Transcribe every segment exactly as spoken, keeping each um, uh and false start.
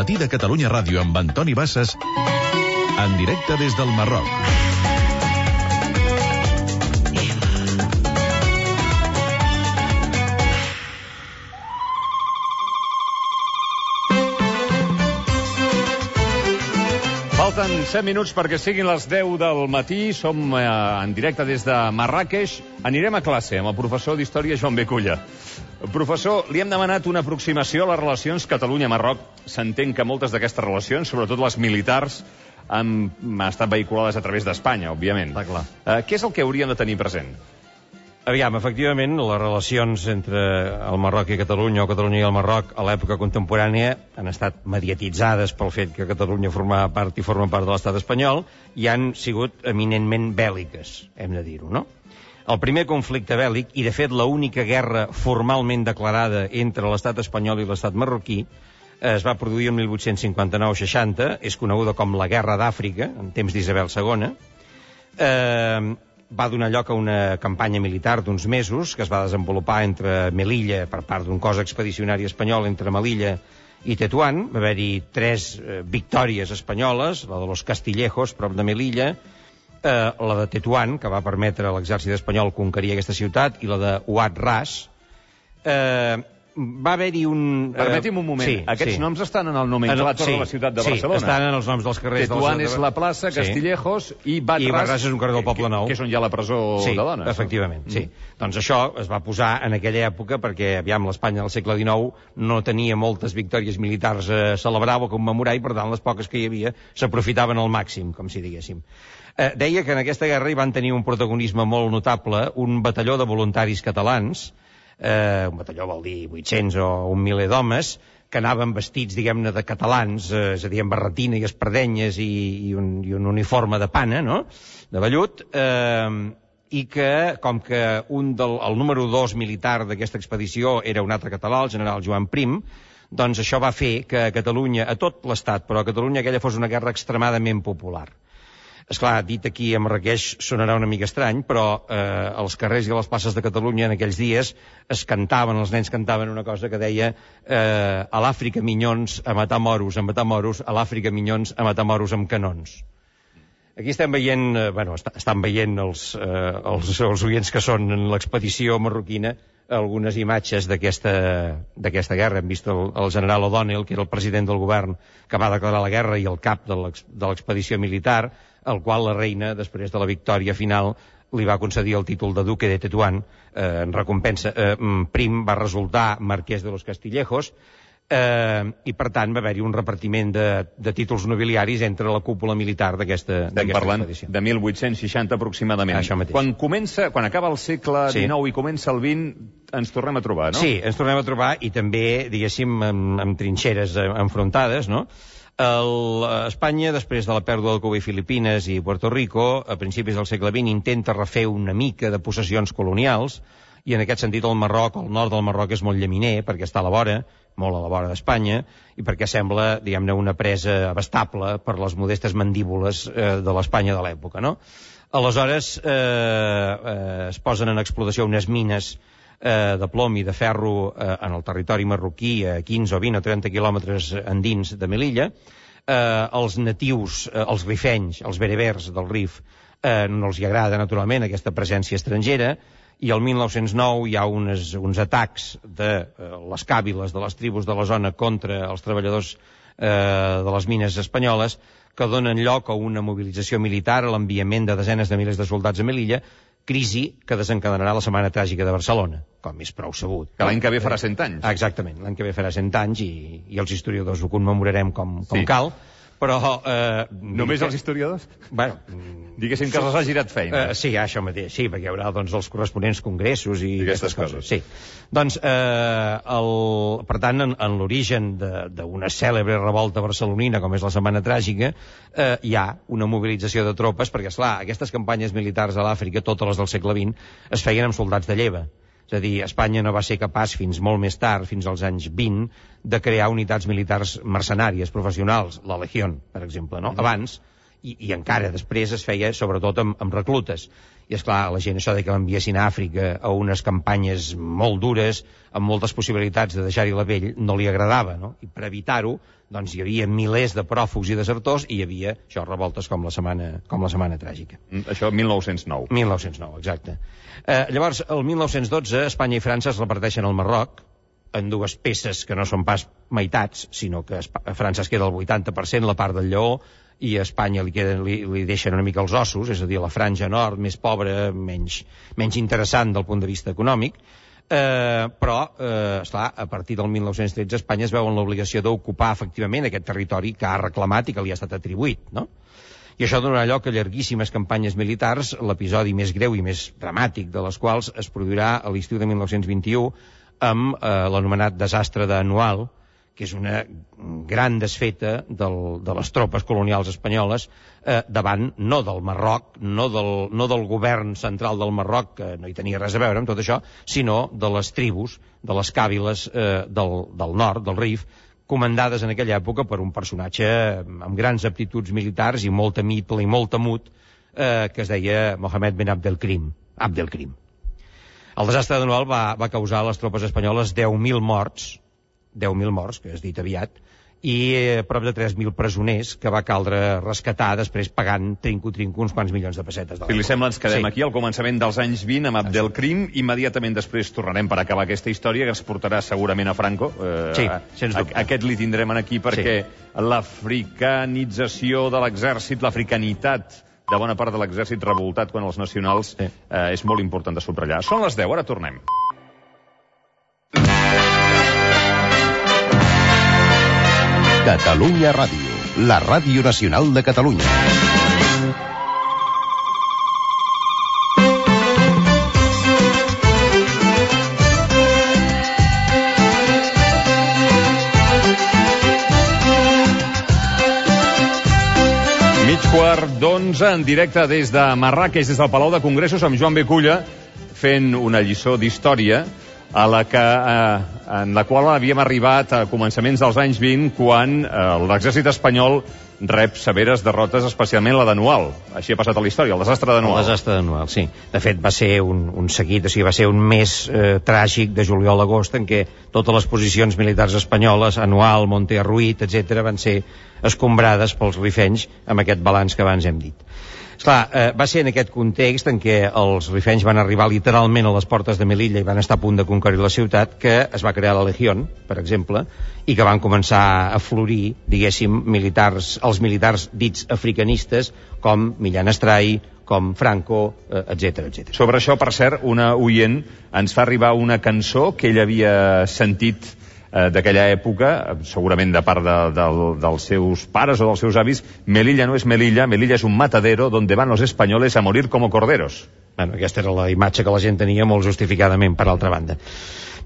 matí de Catalunya Ràdio amb Antoni Bassas, en directe des del Marroc. Falten set minuts perquè siguin les deu del matí. Som eh, en directe des de Marràqueix. Anirem a classe amb el professor d'Història Joan Beculla. Professor, li hem demanat una aproximació a les relacions Catalunya-Marroc. S'entén que moltes d'aquestes relacions, sobretot les militars, han estat vehiculades a través d'Espanya, òbviament. Està clar. Eh, què és el que hauríem de tenir present? Aviam, efectivament, les relacions entre el Marroc i Catalunya, o Catalunya i el Marroc, a l'època contemporània, han estat mediatitzades pel fet que Catalunya formava part i forma part de l'estat espanyol, i han sigut eminentment bèl·liques, hem de dir-ho, no? El primer conflicte bèl·lic, i de fet l'única guerra formalment declarada entre l'estat espanyol i l'estat marroquí, es va produir en mil vuit-cents cinquanta-nou seixanta, és coneguda com la Guerra d'Àfrica, en temps d'Isabel segona, eh... va donar lloc a una campanya militar d'uns mesos que es va desenvolupar entre Melilla, per part d'un cos expedicionari espanyol entre Melilla i Tetuán. Va haver-hi tres eh, victòries espanyoles, la de los Castillejos, prop de Melilla, eh, la de Tetuán, que va permetre a l'exèrcit espanyol conquerir aquesta ciutat, i la de Ouad Ras. Eh, va haver-hi un... Eh... Permeti'm un moment. Sí, Aquests sí. noms estan en el nomenclàtor sí, de la ciutat de sí, Barcelona. Sí, estan en els noms dels carrers. Tetuán dels... és la plaça, Castillejos, sí. i Ouad Ras... I Ouad Ras és un carrer del Poble Nou. Que, que és on hi ha la presó sí, de dones. Efectivament, no? sí. Mm. Doncs això es va posar en aquella època perquè, aviam, l'Espanya del segle dinou no tenia moltes victòries militars a celebrar o a commemorar, i per tant les poques que hi havia s'aprofitaven al màxim, com si diguéssim. Eh, deia que en aquesta guerra hi van tenir un protagonisme molt notable un batalló de voluntaris catalans. Eh, un batalló vol dir vuit-cents o un miler d'homes que anaven vestits, diguem-ne, de catalans, eh, és a dir, amb barretina i espardenyes i, i, un, i un uniforme de pana, no?, de vellut, eh, i que, com que un del, el número dos militar d'aquesta expedició era un altre català, el general Joan Prim, doncs això va fer que a Catalunya, a tot l'estat, però a Catalunya aquella fos una guerra extremadament popular. Esclar, dit aquí a Marràqueix sonarà una mica estrany, però eh, als carrers i a les places de Catalunya en aquells dies es cantaven, els nens cantaven una cosa que deia eh, a l'Àfrica minyons a matar moros, a matar moros, a l'Àfrica minyons a matar moros amb canons. Aquí estem veient, eh, bueno, est estan veient els, eh, els, els oients que són en l'expedició marroquina algunes imatges d'aquesta d'aquesta guerra. Hem vist el, el general O'Donnell, que era el president del govern que va declarar la guerra i el cap de l'expedició militar, al qual la reina, després de la victòria final, li va concedir el títol de duque de Tetuán, eh, en recompensa. Eh, Prim va resultar marquès de los Castillejos, eh, i per tant va haver-hi un repartiment de, de títols nobiliaris entre la cúpula militar d'aquesta expedició. Estem parlant de mil vuit-cents seixanta aproximadament. Això mateix. Quan comença, quan acaba el segle dinou sí. i comença el vint, ens tornem a trobar, no? Sí, ens tornem a trobar, i també, diguéssim, amb, amb trinxeres enfrontades, no? El, Espanya, després de la pèrdua de Cuba i Filipines i Puerto Rico, a principis del segle vint, intenta refer una mica de possessions colonials, i en aquest sentit el Marroc, el nord del Marroc, és molt llaminer, perquè està a la vora, molt a la vora d'Espanya, i perquè sembla, diguem-ne, una presa abastable per les modestes mandíbules eh, de l'Espanya de l'època, no? Aleshores, eh, eh, es posen en explotació unes mines eh, de plom i de ferro eh, en el territori marroquí, a quinze o vint o trenta quilòmetres endins de Melilla. Eh, els natius, eh, els rifenys, els berebers del Rif, eh, no els hi agrada, naturalment, aquesta presència estrangera, i el mil nou-cents nou hi ha unes, uns atacs de eh, les càbiles de les tribus de la zona contra els treballadors eh, de les mines espanyoles, que donen lloc a una mobilització militar, a l'enviament de desenes de milers de soldats a Melilla, crisi que desencadenarà la Setmana Tràgica de Barcelona, com és prou sabut. Que l'any que ve farà cent anys. Exactament, l'any que ve farà cent anys, i, i els historiadors ho commemorarem com, com sí. cal, però... Eh, Només els historiadors? Bueno... Diguéssim que els ha girat feina. Eh, sí, això mateix, sí, perquè hi haurà doncs, els corresponents congressos i, I aquestes coses. coses. Sí. Doncs, eh, el, per tant, en, en l'origen d'una cèlebre revolta barcelonina, com és la Setmana Tràgica, eh, hi ha una mobilització de tropes, perquè, esclar, aquestes campanyes militars a l'Àfrica, totes les del segle vint, es feien amb soldats de lleva. És a dir, Espanya no va ser capaç fins molt més tard, fins als anys vint, de crear unitats militars mercenàries, professionals, la Legión, per exemple, no? Abans, i, i encara després es feia sobretot amb, amb reclutes. i esclar, la gent això de que l'enviessin a Àfrica a unes campanyes molt dures, amb moltes possibilitats de deixar-hi la pell, no li agradava, no? I per evitar-ho, doncs hi havia milers de pròfugs i desertors i hi havia, això, revoltes com la setmana, com la setmana tràgica. Això mil nou-cents nou. mil nou-cents nou, exacte. Eh, llavors, el mil nou-cents dotze, Espanya i França es reparteixen el Marroc en dues peces que no són pas meitats, sinó que a França es queda el vuitanta per cent, la part del Lleó, i a Espanya li, queden, li, li deixen una mica els ossos, és a dir, la franja nord, més pobra, menys, menys interessant del punt de vista econòmic, eh, però, eh, esclar, a partir del mil nou-cents tretze Espanya es veu en l'obligació d'ocupar efectivament aquest territori que ha reclamat i que li ha estat atribuït, no? I això donarà lloc a llarguíssimes campanyes militars, l'episodi més greu i més dramàtic de les quals es produirà a l'estiu de mil nou-cents vint-i-u amb eh, l'anomenat desastre d'Anual, que és una gran desfeta del, de les tropes colonials espanyoles eh, davant, no del Marroc, no del, no del govern central del Marroc, que no hi tenia res a veure amb tot això, sinó de les tribus, de les càbiles eh, del, del nord, del Rif, comandades en aquella època per un personatge amb grans aptituds militars i molt temible i molt temut, eh, que es deia Mohamed Ben Abdelkrim. Abdelkrim. El desastre d'Anual va, va causar a les tropes espanyoles deu mil morts, deu mil morts, que has dit aviat, i eh, prop de tres mil presoners que va caldre rescatar després pagant trinco-trinco uns quants milions de pessetes. Si li sembla, ens quedem sí. aquí al començament dels anys vint amb Abdelkrim. Immediatament després tornarem per acabar aquesta història que ens portarà segurament a Franco. Eh, sí, sens dubte. Aquest li tindrem aquí perquè sí. l'africanització de l'exèrcit, l'africanitat de bona part de l'exèrcit revoltat quan els nacionals sí. eh, és molt important de subratllar. Són les deu, ara tornem. Catalunya Ràdio, la ràdio nacional de Catalunya. Mig quart d'onze, en directe des de Marràqueix, des del Palau de Congressos, amb Joan Beculla, fent una lliçó d'història a la que, eh, en la qual havíem arribat a començaments dels anys vint, quan eh, l'exèrcit espanyol rep severes derrotes, especialment la d'Anual. Així ha passat a la història, el desastre d'Anual. El desastre d'Anual, sí. De fet, va ser un, un seguit, o sigui, va ser un mes eh, tràgic de juliol a agost en què totes les posicions militars espanyoles, Anual, Monte Arruït, etcètera, van ser escombrades pels rifenys amb aquest balanç que abans hem dit. Esclar, eh, va ser en aquest context en què els rifenys van arribar literalment a les portes de Melilla i van estar a punt de conquerir la ciutat que es va crear la Legión, per exemple, i que van començar a florir, diguéssim, militars, els militars dits africanistes com Millán Astray, com Franco, eh, etcètera, etcètera. Sobre això, per cert, una oient ens fa arribar una cançó que ell havia sentit d'aquella època, segurament de part de, de, dels seus pares o dels seus avis. Melilla no és Melilla, Melilla és un matadero donde van los españoles a morir como corderos. Bueno, aquesta era la imatge que la gent tenia molt justificadament, per altra banda.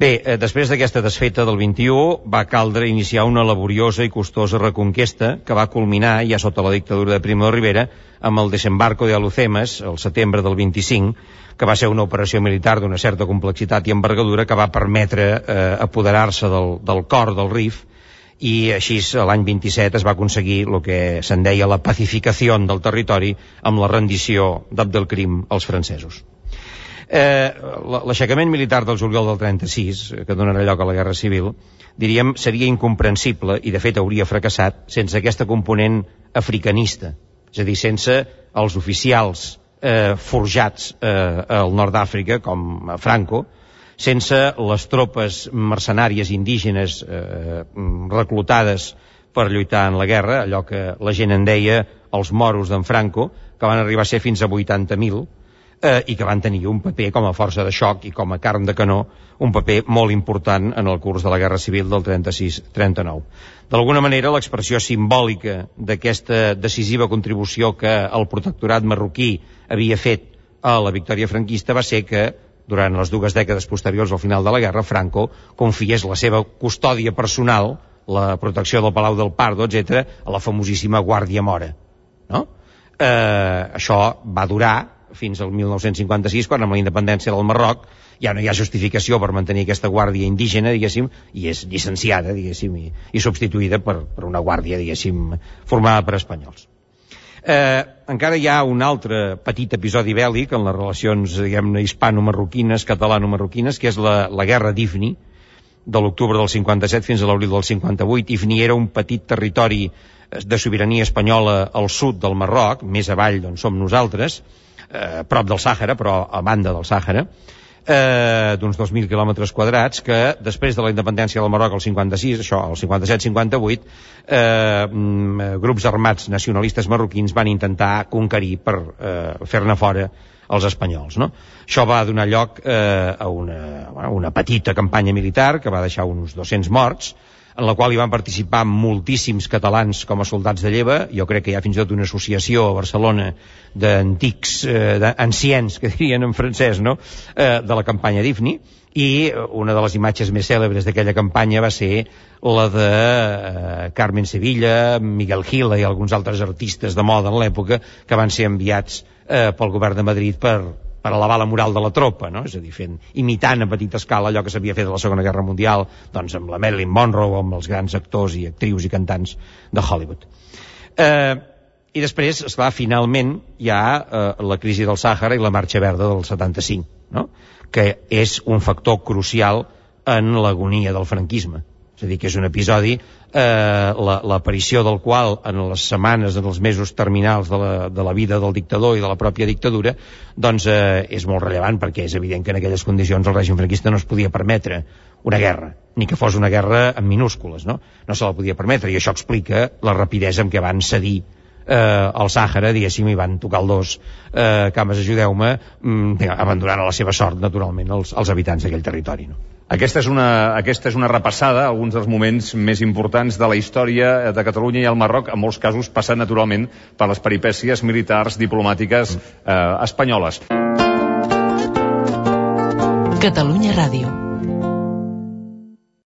Bé, eh, després d'aquesta desfeta del vint-i-u va caldre iniciar una laboriosa i costosa reconquesta que va culminar ja sota la dictadura de Primo de Rivera amb el desembarco de Alucemas el setembre del vint-i-cinc, que va ser una operació militar d'una certa complexitat i envergadura que va permetre eh, apoderar-se del, del cor del Rif, i així l'any vint-i-set es va aconseguir el que se'n deia la pacificació del territori amb la rendició d'Abdelkrim als francesos. Eh, l'aixecament militar del juliol del trenta-sis, que donarà lloc a la Guerra Civil, diríem, seria incomprensible i de fet hauria fracassat sense aquesta component africanista, és a dir, sense els oficials eh, forjats eh, al nord d'Àfrica com Franco, sense les tropes mercenàries indígenes eh, reclutades per lluitar en la guerra, allò que la gent en deia els moros d'en Franco, que van arribar a ser fins a vuitanta mil, eh, i que van tenir un paper com a força de xoc i com a carn de canó, un paper molt important en el curs de la Guerra Civil del trenta-sis trenta-nou. D'alguna manera, l'expressió simbòlica d'aquesta decisiva contribució que el protectorat marroquí havia fet a la victòria franquista va ser que, durant les dues dècades posteriors al final de la guerra, Franco confiés la seva custòdia personal, la protecció del Palau del Pardo, etcètera, a la famosíssima Guàrdia Mora. No? Eh, això va durar fins al mil nou-cents cinquanta-sis, quan amb la independència del Marroc ja no hi ha justificació per mantenir aquesta guàrdia indígena, diguéssim, i és llicenciada, diguéssim, i, i substituïda per, per una guàrdia, diguéssim, formada per espanyols. Eh, encara hi ha un altre petit episodi bèl·lic en les relacions, diguem-ne, hispano-marroquines, catalano-marroquines, que és la, la guerra d'Ifni, de l'octubre del cinquanta-set fins a l'abril del cinquanta-vuit. Ifni era un petit territori de sobirania espanyola al sud del Marroc, més avall d'on som nosaltres, eh, prop del Sàhara, però a banda del Sàhara, eh, d'uns dos mil quilòmetres quadrats, que després de la independència del Marroc al cinquanta-sis, això, al cinquanta-set cinquanta-vuit, eh, grups armats nacionalistes marroquins van intentar conquerir per eh, fer-ne fora els espanyols, no? Això va donar lloc eh, a una, bueno, una petita campanya militar que va deixar uns dos-cents morts, en la qual hi van participar moltíssims catalans com a soldats de lleva. Jo crec que hi ha fins i tot una associació a Barcelona d'antics, eh, d'anciens, que dirien en francès, no?, eh, de la campanya d'Ifni, i una de les imatges més cèlebres d'aquella campanya va ser la de eh, Carmen Sevilla, Miguel Gila i alguns altres artistes de moda en l'època que van ser enviats eh, pel govern de Madrid per, per elevar la moral de la tropa, no? És a dir, fent, imitant a petita escala allò que s'havia fet a la Segona Guerra Mundial, doncs amb la Marilyn Monroe o amb els grans actors i actrius i cantants de Hollywood. Eh, I després, esclar, finalment hi ha eh, la crisi del Sàhara i la Marxa Verda del setanta-cinc, no?, que és un factor crucial en l'agonia del franquisme. És a dir, que és un episodi, eh, l'aparició del qual en les setmanes, en els mesos terminals de la, de la vida del dictador i de la pròpia dictadura, doncs eh, és molt rellevant, perquè és evident que en aquelles condicions el règim franquista no es podia permetre una guerra, ni que fos una guerra en minúscules, no? No se la podia permetre, i això explica la rapidesa amb què van cedir eh, al Sàhara, diguéssim, i van tocar el dos, eh, cames, ajudeu-me, mm, abandonant a la seva sort, naturalment, els, els habitants d'aquell territori, no? Aquesta és, una, aquesta és una repassada a alguns dels moments més importants de la història de Catalunya i el Marroc, en molts casos passant naturalment per les peripècies militars, diplomàtiques eh, espanyoles. Catalunya Ràdio.